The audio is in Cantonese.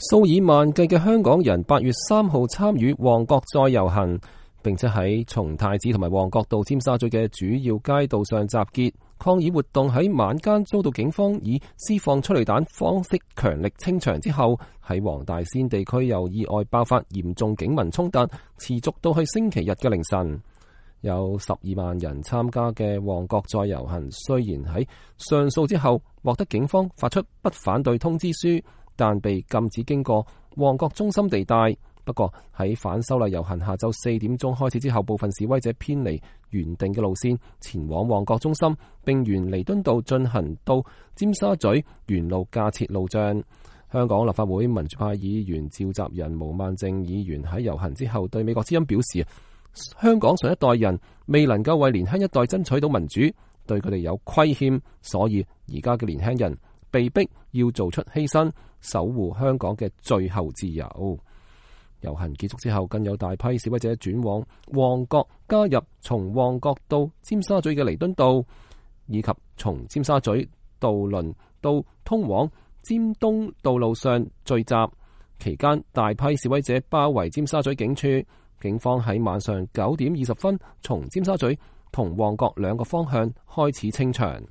數以萬計嘅香港人8月3號參與旺角再遊行，並且喺松太子同埋旺角到尖沙咀嘅主要街道上集結抗議活動。喺晚間遭到警方以施放催淚彈方式強力清場之後，喺黃大仙地區又意外爆發嚴重警民衝突，持續到去星期日嘅凌晨。有12萬人參加嘅旺角再遊行，雖然喺上訴之後獲得警方發出不反對通知書，但被禁止經過旺角中心地帶。不過喺反修例遊行下晝4點鐘開始之後，部分示威者偏離原定嘅路線，前往旺角中心，並沿彌敦道進行到尖沙咀沿路架設路障。香港立法會民主派議員召集人毛孟靜議員喺遊行之後對美國之音表示，香港上一代人未能夠為年輕一代爭取到民主，對佢哋有虧欠，所以而家嘅年輕人被逼要做出犧牲，守護香港嘅最後自由。遊行結束之後，更有大批示威者轉往旺角，加入從旺角到尖沙咀嘅彌敦道，以及從尖沙咀渡輪到通往尖東道路上聚集。期間，大批示威者包圍尖沙咀警署，警方喺晚上9點20分從尖沙咀同旺角兩個方向開始清場。